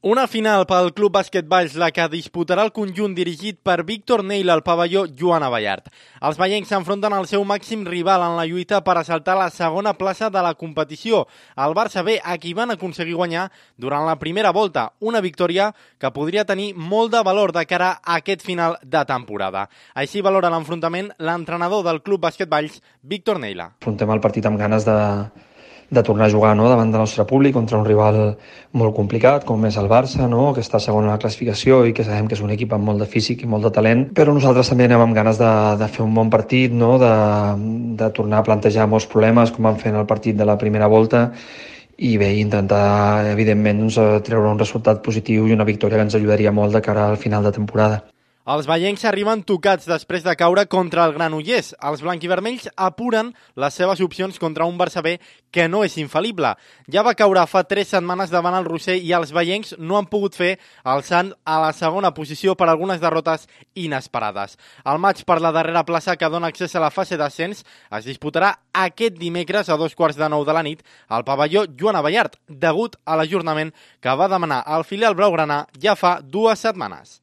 Una final pel Club Bàsquet Valls, la que disputarà el conjunt dirigit per Víctor Neila al pavelló Joan Abellart. Els vallencs s'enfronten al seu màxim rival en la lluita per assaltar la segona plaça de la competició, el Barça B, a qui van aconseguir guanyar durant la primera volta, una victòria que podria tenir molt de valor de cara a aquest final de temporada. Així valora l'enfrontament l'entrenador del Club Bàsquet Valls, Víctor Neila. Afrontem el partit amb ganes de tornar a jugar, no?, davant del nostre públic contra un rival molt complicat com és el Barça, no?, que està segon a la classificació i que sabem que és un equip amb molt de físic i molt de talent, però nosaltres també anem amb ganes de fer un bon partit, no?, de tornar a plantejar molts problemes com vam fer en el partit de la primera volta i bé, intentar evidentment treure un resultat positiu i una victòria que ens ajudaria molt de cara al final de temporada. Els vallencs arriben tocats després de caure contra el Granollers. Els blanquivermells apuren les seves opcions contra un Barça B que no és infal·lible. Ja va caure fa 3 setmanes davant el Rossell i els vallencs no han pogut fer el salt a la segona posició per algunes derrotes inesperades. El maig per la darrera plaça que dona accés a la fase d'ascens es disputarà aquest dimecres a 9:15 de la nit al pavelló Joan Abellart, degut a l'ajornament que va demanar el filial blaugrana ja fa 2 setmanes.